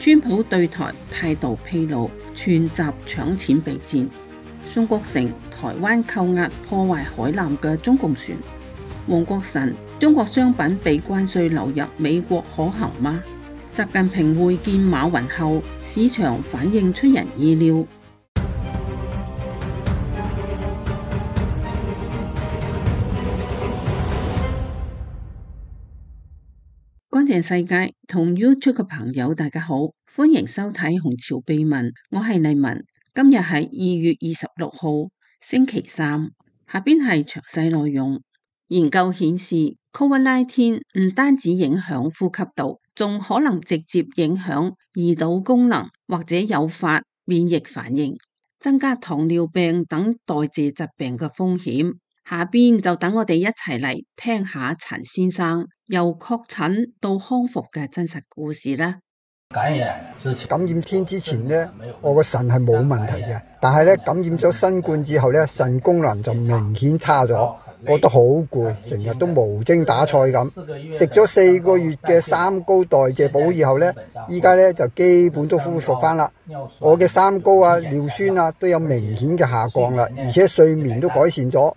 川普對台態度披露，串習搶錢備戰。宋國成，台灣扣押破壞海南嘅中共船。黃國臣，中國商品被關稅流入美國可行嗎？習近平會見馬雲後，市場反應出人意料。乾淨世界同 YouTube 嘅朋友大家好，歡迎收睇紅潮秘聞，我係麗文。今日係2月26號星期三，下邊係詳細內容。研究顯示 COVID-19 唔單止影響呼吸道，仲可能直接影響胰島功能或者誘發免疫反應，增加糖尿病等代謝疾病嘅風險。下邊就等我哋一齊嚟聽下陳先生由確診到康復嘅真實故事啦。感染天之前呢，我個腎係冇問題嘅，但係咧感染咗新冠之後咧，腎功能就明顯差咗，覺得好攰，成日都無精打采咁。食咗4個月嘅三高代謝補以後咧，依家咧就基本都恢復翻啦。我嘅三高啊、尿酸啊都有明顯嘅下降啦，而且睡眠都改善咗。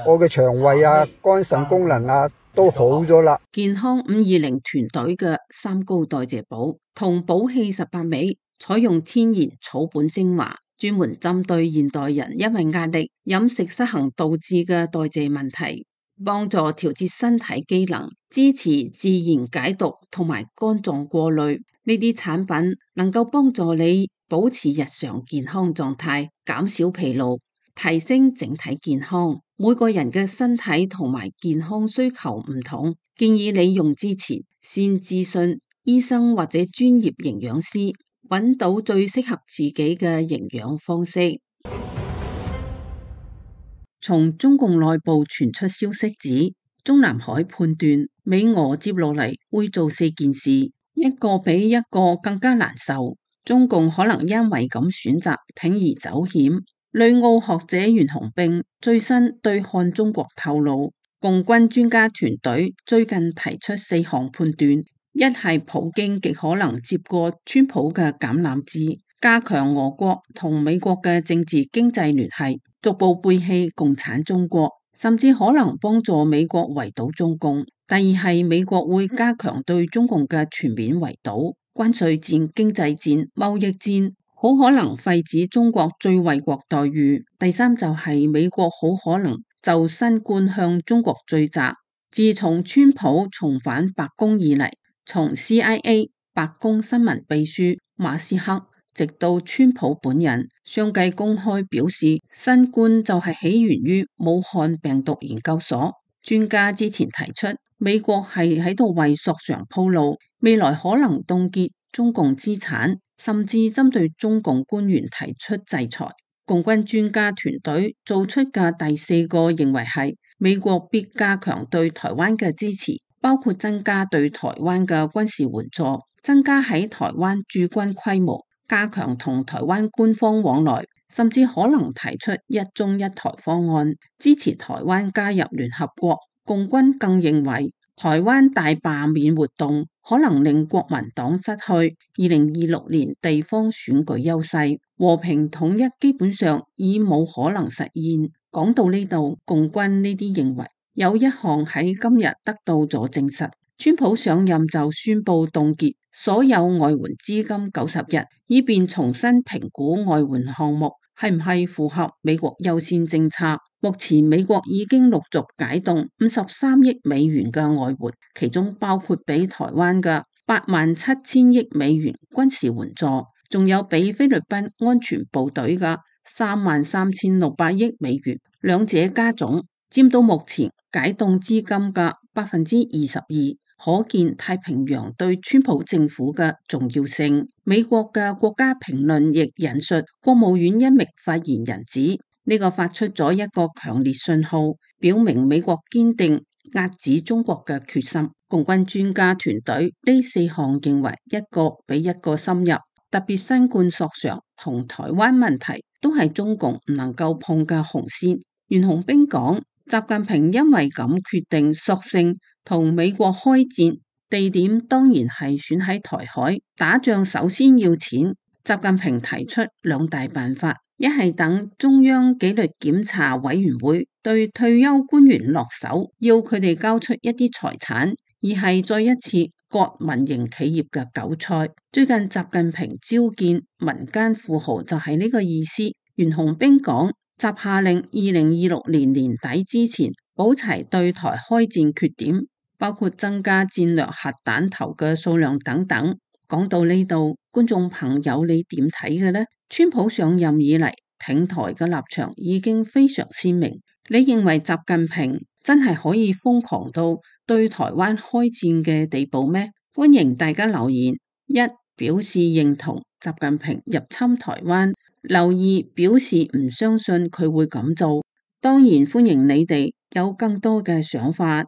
我嘅腸胃啊、肝腎功能啊都好咗啦。健康520團隊嘅三高代謝補同補氣18味，採用天然草本精華，專門針對現代人因為壓力、飲食失衡導致嘅代謝問題，幫助調節身體機能，支持自然解毒同埋肝臟過濾。呢啲產品能夠幫助你保持日常健康狀態，減少疲勞，提升整體健康。每個人嘅身體同埋健康需求唔同，建議你用之前先諮詢醫生或者專業營養師，揾到最適合自己嘅營養方式。從中共內部傳出消息指，中南海判斷美俄接落嚟會做4件事，一個比一個更加難受。中共可能因為咁選擇鋌而走險。旅澳學者袁洪兵最新對看中國透露，共軍專家團隊最近提出4項判斷：一係普京極可能接過川普嘅橄欖枝，加強俄國同美國嘅政治經濟聯繫，逐步背棄共產中國，甚至可能幫助美國圍堵中共；第二係美國會加強對中共嘅全面圍堵，關稅戰、經濟戰、貿易戰。好可能廢止中國最惠國待遇。第三就係美國好可能就新冠向中國追責。自從川普重返白宮以嚟，從 CIA 白宮新聞秘書馬斯克直到川普本人，相繼公開表示新冠就係起源於武漢病毒研究所。專家之前提出，美國係喺度為索償鋪路，未來可能凍結中共資產，甚至針對中共官員提出制裁。共軍專家團隊做出嘅第4個認為係美國必加強對台灣嘅支持，包括增加對台灣嘅軍事援助，增加喺台灣駐軍規模，加強同台灣官方往來，甚至可能提出一中一台方案，支持台灣加入聯合國。共軍更認為台灣大罷免活動可能令國民黨失去2026年地方選舉優勢，和平統一基本上已冇可能實現。講到呢度，共軍呢啲認為有一項喺今日得到咗證實，川普上任就宣布凍結所有外援資金90日，以便重新評估外援項目係唔係符合美國優先政策。目前美國已經陸續解凍53億美元嘅外援，其中包括俾台灣嘅87000億美元軍事援助，仲有俾菲律賓安全部隊嘅33600億美元，兩者加總佔到目前解凍資金嘅22%，可見太平洋對川普政府嘅重要性。美國嘅國家評論亦引述國務院一名發言人指，呢個發出咗一個強烈信號，表明美國堅定壓止中國嘅決心。共軍專家團隊呢4項認為一個比一個深入，特別新冠索償同台灣問題都係中共唔能夠碰嘅紅線。袁洪兵講，習近平因為咁決定索性同美國開戰，地點當然係選喺台海。打仗首先要錢，習近平提出兩大辦法，一係等中央紀律檢查委員會對退休官員落手，要佢哋交出一啲財產，二係再一次割民營企業嘅韭菜。最近習近平召見民間富豪就係呢個意思。袁洪兵講，習下令2026年底之前補齊對台開戰缺點，包括增加戰略核彈頭嘅數量等等。講到呢度，觀眾朋友你點睇嘅呢？川普上任以嚟挺台嘅立場已經非常鮮明，你認為習近平真係可以瘋狂到對台灣開戰嘅地步咩？歡迎大家留言，一表示認同習近平入侵台灣，留二表示唔相信佢會咁做。當然歡迎你哋有更多嘅想法。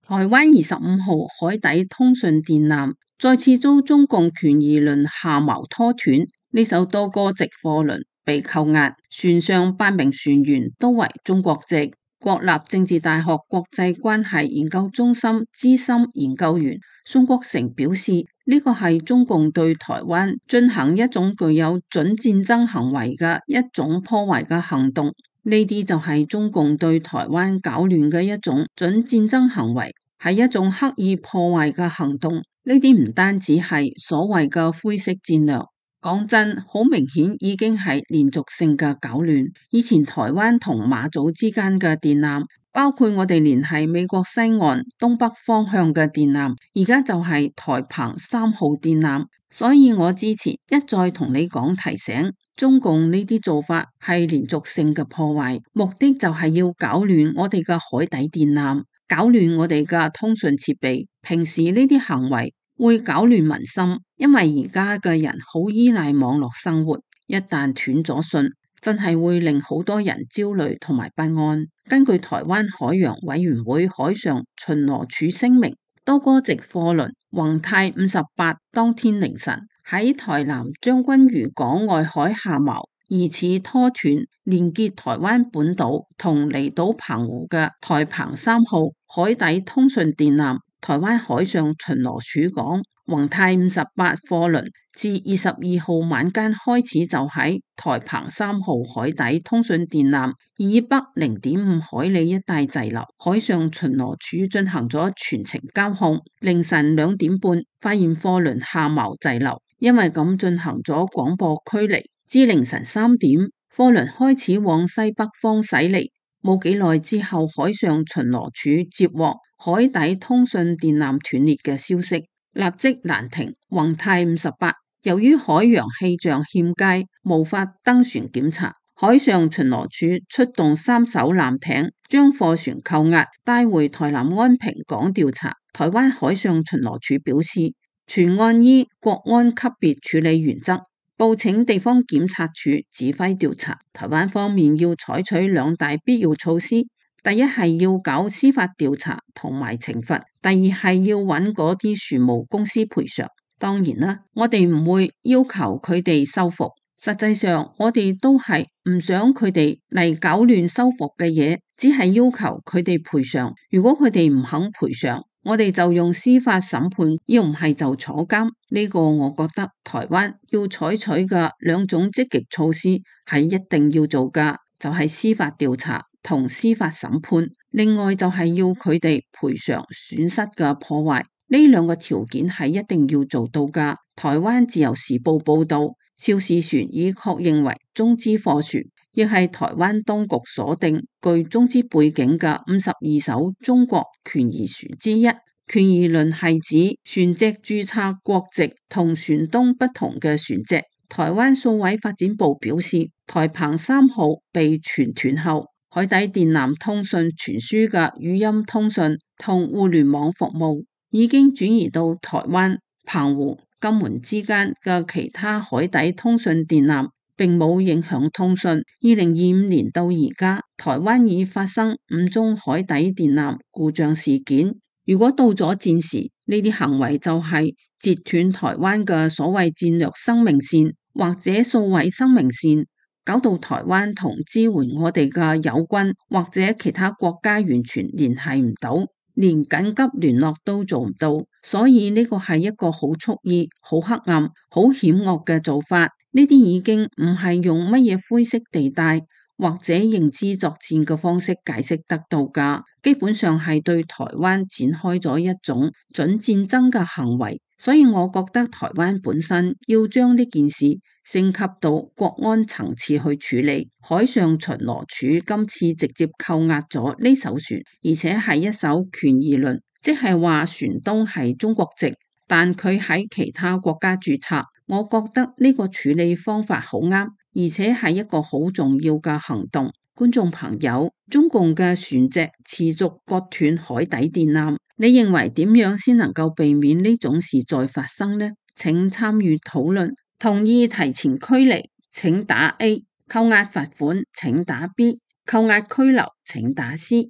台灣25號海底通訊電纜再次遭中共權宜輪下錨拖斷，呢艘多哥籍貨輪被扣押，船上8名船員都為中國籍。國立政治大學國際關係研究中心資深研究員宋國成表示，呢個係中共對台灣進行一種具有準戰爭行為嘅一種破壞嘅行動，呢啲就係中共對台灣搞亂嘅一種準戰爭行為，係一種刻意破壞嘅行動。呢啲唔單止係所謂嘅灰色戰略，講真，好明顯已經係連續性嘅搞亂。以前台灣同馬祖之間嘅電纜，包括我哋聯繫美國西岸東北方向嘅電纜，而家就係台澎3號電纜。所以我之前一再同你講提醒，中共呢啲做法係連續性嘅破壞，目的就係要搞亂我哋嘅海底電纜，搞亂我哋嘅通訊設備。平時呢啲行為會搞亂民心，因為而家嘅人好依賴網絡生活，一旦斷咗訊，真係會令好多人焦慮同埋不安。根據台灣海洋委員會海上巡邏處聲明，多哥籍貨輪宏泰58當天凌晨喺台南將軍漁港外海下錨，疑似拖斷連結台灣本島同離島澎湖嘅台澎3號海底通訊電纜。台灣海上巡邏署講，宏泰58貨輪自22號晚間開始就喺台澎3號海底通訊電纜以北0.5海里一帶滯留，海上巡邏署進行咗全程監控，凌晨2點半發現貨輪下錨滯留，因為咁進行咗廣播驅離。至凌晨3點，貨輪開始往西北方駛離，冇幾耐之後，海上巡邏署接獲海底通訊電纜斷裂嘅消息，立即攔停宏泰58。由於海洋氣象欠佳，無法登船檢查，海上巡邏署出動3艘艦艇，將貨船扣押，帶回台南安平港調查。台灣海上巡邏署表示，全案依國安級別處理原則，報請地方檢察署指揮調查。台灣方面要採取2大必要措施。第一係要搞司法調查同埋懲罰，第二係要揾嗰啲船務公司賠償。當然啦，我哋唔會要求佢哋修復，實際上我哋都係唔想佢哋嚟搞亂修復嘅嘢，只係要求佢哋賠償。如果佢哋唔肯賠償，我哋就用司法審判，要唔係就坐監。呢個我覺得台灣要採取嘅2種積極措施係一定要做㗎，就係司法調查同司法審判，另外就係要佢哋賠償損失嘅破壞，呢2個條件係一定要做到㗎。台灣自由時報報道，肇事船已確認為中資貨船，亦係台灣當局鎖定具中資背景嘅52艘中國權宜船之一。權宜輪係指船隻註冊國籍同船東不同嘅船隻。台灣數位發展部表示，台澎3號被傳斷後，海底電纜通訊傳輸嘅語音通訊同互聯網服務已經轉移到台灣、澎湖、金門之間嘅其他海底通訊電纜，並冇影響通訊。2025年到而家，台灣已發生5宗海底電纜故障事件。如果到咗戰時，呢啲行為就係截斷台灣嘅所謂戰略生命線或者數位生命線，搞到台灣同支援我哋嘅友軍或者其他國家完全聯繫唔到。呢連緊急聯絡都做唔到，所以呢個係一個好蓄意、好黑暗、好險惡嘅做法。呢啲已經唔係用乜嘢灰色地帶或者認知作戰嘅方式解釋得到㗎，基本上係對台灣展開咗一種準戰爭嘅行為。所以我覺得台灣本身要將呢件事升級到國安層次去處理。海上巡邏處今次直接扣押咗呢艘船，而且係一艘權宜輪，即係話船東係中國籍，但佢喺其他國家註冊。我覺得呢個處理方法好啱，而且係一個好重要嘅行動。觀眾朋友，中共嘅船隻持續割斷海底電纜，你認為點樣先能夠避免呢種事再發生呢？請參與討論。同意提前驅離請打 A， 扣押罰款請打 B， 扣押拘留請打 C。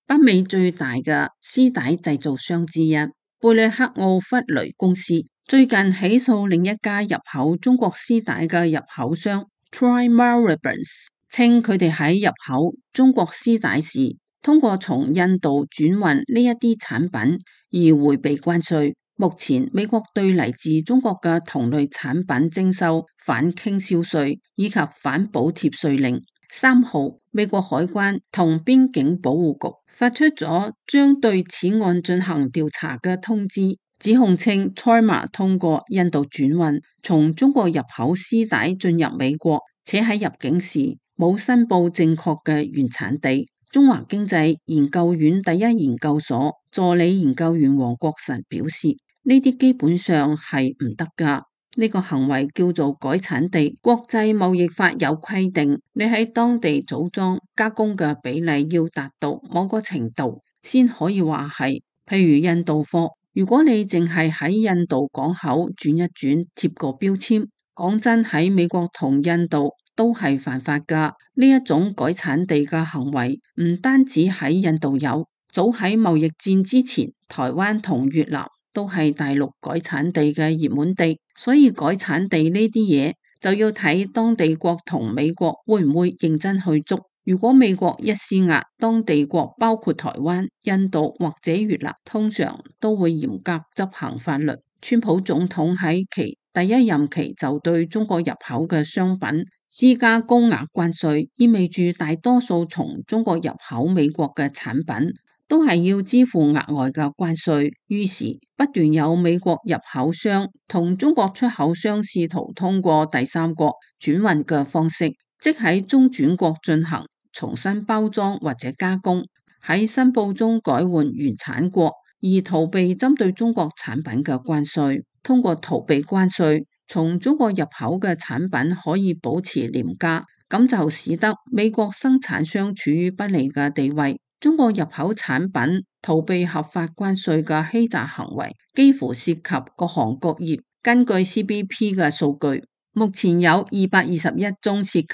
北美最大嘅絲帶製造商之一貝里克奧弗雷公司最近起訴另一家入口中國絲帶嘅入口商 Troy Maribens， 稱佢哋喺入口中國絲帶時通過從印度轉運呢一啲產品而迴避關稅。目前美國對嚟自中國嘅同類產品徵收反傾銷稅以及反補貼稅令。3號，美國海關同邊境保護局發出咗將對此案進行調查嘅通知，指控稱 Troy 通過印度轉運從中國入口絲帶進入美國，且喺入境時冇申報正確嘅原產地。中華經濟研究院第一研究所助理研究員黃國臣表示，呢啲基本上係唔得㗎。呢個行為叫做改產地。國際貿易法有規定，你喺當地組裝加工嘅比例要達到某個程度，先可以話係。譬如印度貨，如果你淨係喺印度港口轉一轉，貼個標籤，講真喺美國同印度都係犯法㗎。呢一種改產地嘅行為唔單止喺印度有，早喺貿易戰之前，台灣同越南都係大陸改產地嘅熱門地。所以改產地呢啲嘢就要睇當地國同美國會唔會認真去捉。如果美國一施壓，當地國包括台灣、印度或者越南，通常都會嚴格執行法律。川普總統喺其第一任期就對中國入口嘅商品施加高額關稅，意味住大多數從中國入口美國嘅產品都係要支付額外嘅關稅，於是不斷有美國入口商同中國出口商試圖通過第三國轉運嘅方式，即喺中轉國進行重新包裝或者加工，喺申報中改換原產國，而逃避針對中國產品嘅關稅。通過逃避關稅，從中國入口嘅產品可以保持廉價，咁就使得美國生產商處於不利嘅地位。中國入口產品逃避合法關稅嘅欺詐行為幾乎涉及各行各業。根據 CBP 嘅數據，目前有221宗涉及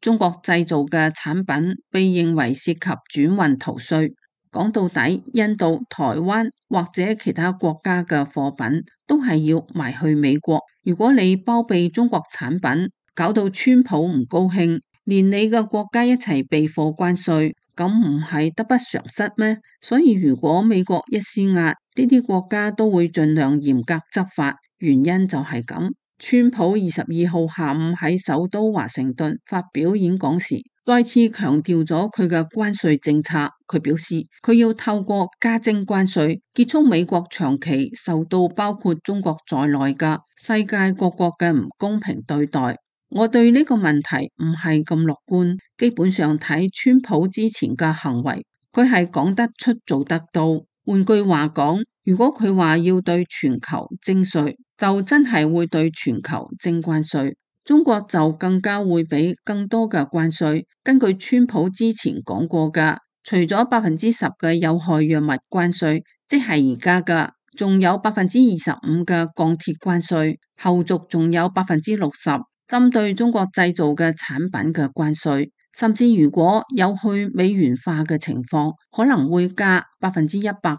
中國製造嘅產品被認為涉及轉運逃稅。講到底，印度、台灣或者其他國家嘅貨品都係要賣去美國。如果你包庇中國產品，搞到川普唔高興，連你嘅國家一齊避貨關稅，咁唔係得不償失咩？所以如果美國一施壓，呢啲國家都會盡量嚴格執法，原因就係咁。川普22號下午喺首都華盛頓發表演講時，再次強調咗佢嘅關稅政策。佢表示，佢要透過加徵關稅，結束美國長期受到包括中國在內嘅世界各國嘅唔公平對待。我對呢個問題唔係咁樂觀，基本上睇川普之前嘅行為，佢係講得出做得到。換句話講，如果佢話要對全球徵稅，就真係會對全球徵關稅，中國就更加會俾更多嘅關稅。根據川普之前講過嘅，除咗10%嘅有害藥物關稅，即係而家嘅，仲有25%嘅鋼鐵關稅，後續仲有60%針對中國製造嘅產品嘅關稅。甚至如果有去美元化嘅情況，可能會加100%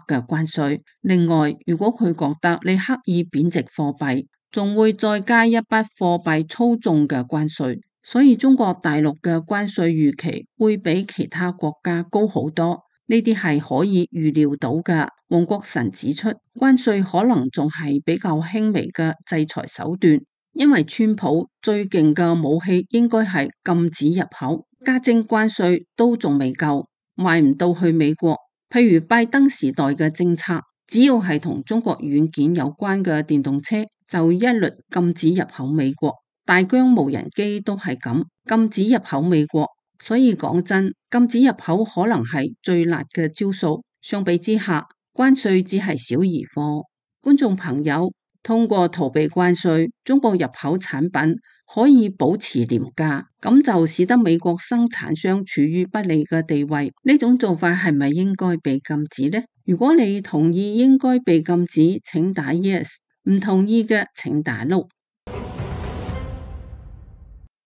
嘅關稅。另外，如果佢覺得你刻意貶值貨幣，仲會再加一筆貨幣操縱嘅關稅。所以中國大陸嘅關稅預期會比其他國家高好多，呢啲係可以預料到嘅。黃國臣指出，關稅可能仲係比較輕微嘅制裁手段，因為川普最勁嘅武器應該係禁止入口，加徵關稅都仲未夠，賣唔到去美國。譬如拜登時代嘅政策，只要係同中國軟件有關嘅電動車，就一律禁止入口美國。大疆無人機都係咁，禁止入口美國。所以講真，禁止入口可能係最辣嘅招數。相比之下，關稅只係小兒科。觀眾朋友，通過逃避關稅，中國入口產品可以保持廉價，咁就使得美國生產商處於不利嘅地位。呢種做法係咪應該被禁止呢？如果你同意應該被禁止，請打 yes； 唔同意嘅請打 no。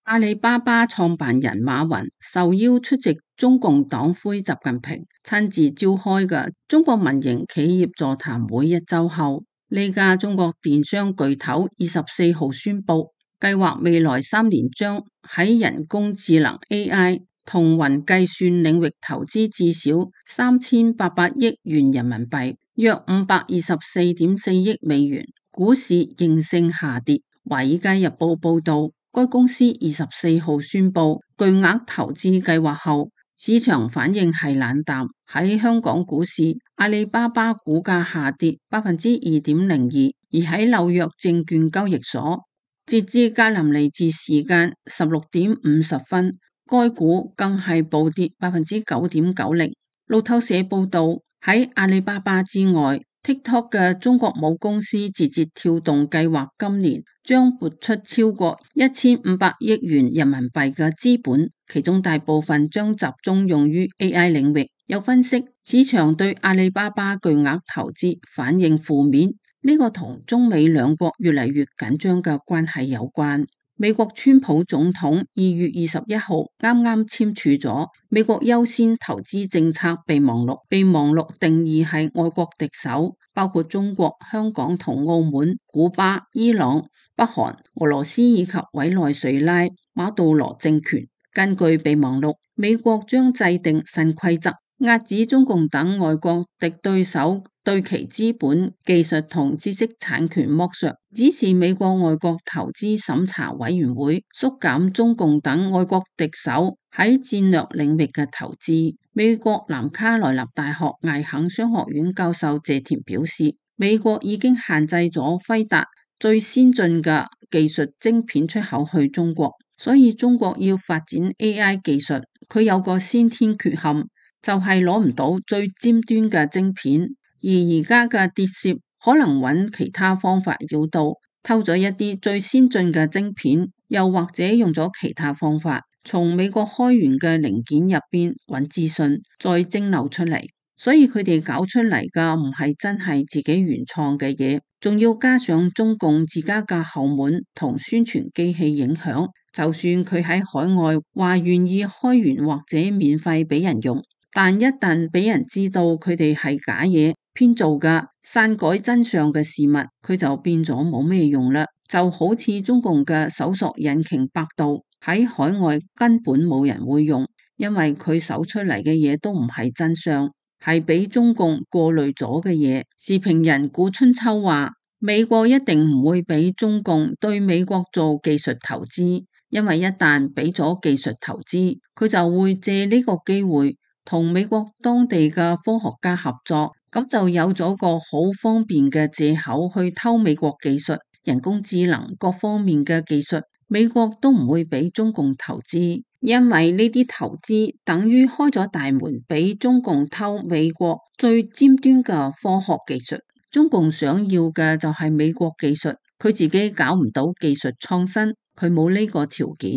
阿里巴巴創辦人馬雲受邀出席中共黨魁習近平親自召開嘅中國民營企業座談會一周後，呢家中國電商巨頭24號宣布，計劃未來3年將喺人工智能 AI 同雲計算領域投資至少3800億元人民幣，約524.4億美元。股市應聲下跌。華爾街日報報道，該公司24號宣布巨額投資計劃後，市場反應係冷淡。喺香港股市，阿里巴巴股價下跌2.02%，而喺紐約證券交易所，截至格林尼治時間16點50分，該股更係暴跌9.90%。路透社報道，喺阿里巴巴之外，TikTok 嘅中國母公司字節跳動計劃今年將撥出超過1500億元人民幣嘅資本，其中大部分將集中用於 AI 領域。有分析，市場對阿里巴巴巨額投資反應負面，呢個同中美兩國越嚟越緊張嘅關係有關。美國川普總統2月21號啱啱簽署咗美國優先投資政策備忘錄，備忘錄定義係外國敵手，包括中國、香港同澳門、古巴、伊朗、北韓、俄羅斯以及委內瑞拉、馬杜羅政權。根據備忘錄，美國將制定新規則，遏止中共等外國敵對手對其資本、技術同知識產權剝削，指示美國外國投資審查委員會縮減中共等外國敵手喺戰略領域嘅投資。美國南卡羅來納大學艾肯商學院教授謝田表示，美國已經限制咗輝達最先進嘅技術晶片出口去中國，所以中國要發展 AI 技術，佢有個先天缺陷，就係攞唔到最尖端嘅晶片。而家嘅諜竊可能揾其他方法繞道，偷咗一啲最先進嘅晶片，又或者用咗其他方法從美國開源嘅零件入邊揾資訊，再蒸餾出嚟。所以佢哋搞出嚟嘅唔係真係自己原創嘅嘢，仲要加上中共自家嘅後門同宣傳機器影響。就算佢喺海外話願意開源或者免費俾人用，但一旦俾人知道佢哋係假嘢編造嘅篡改真相嘅事物，佢就變咗冇咩用啦。就好似中共嘅搜索引擎百度喺海外根本冇人會用，因為佢搜出嚟嘅嘢都唔係真相，係俾中共過濾咗嘅嘢。時評人古春秋話，美國一定唔會俾中共對美國做技術投資，因為一旦俾咗技術投資，佢就會借呢個機會同美國當地嘅科學家合作，咁就有咗個好方便嘅借口去偷美國技術、人工智能各方面嘅技術，美國都唔會俾中共投資，因為呢啲投資等於開咗大門俾中共偷美國最尖端嘅科學技術。中共想要嘅就係美國技術，佢自己搞唔到技術創新，佢冇呢個條件。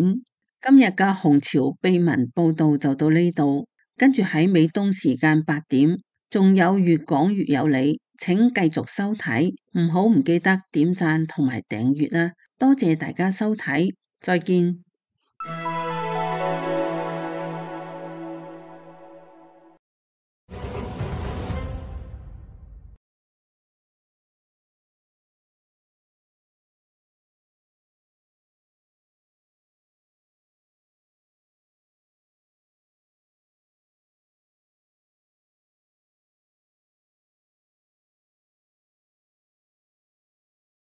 今日嘅紅潮秘聞報道就到呢度。跟住喺美東時間8點，仲有越講越有理，請繼續收睇，唔記得點讚同埋訂閱啦，多謝大家收睇，再見。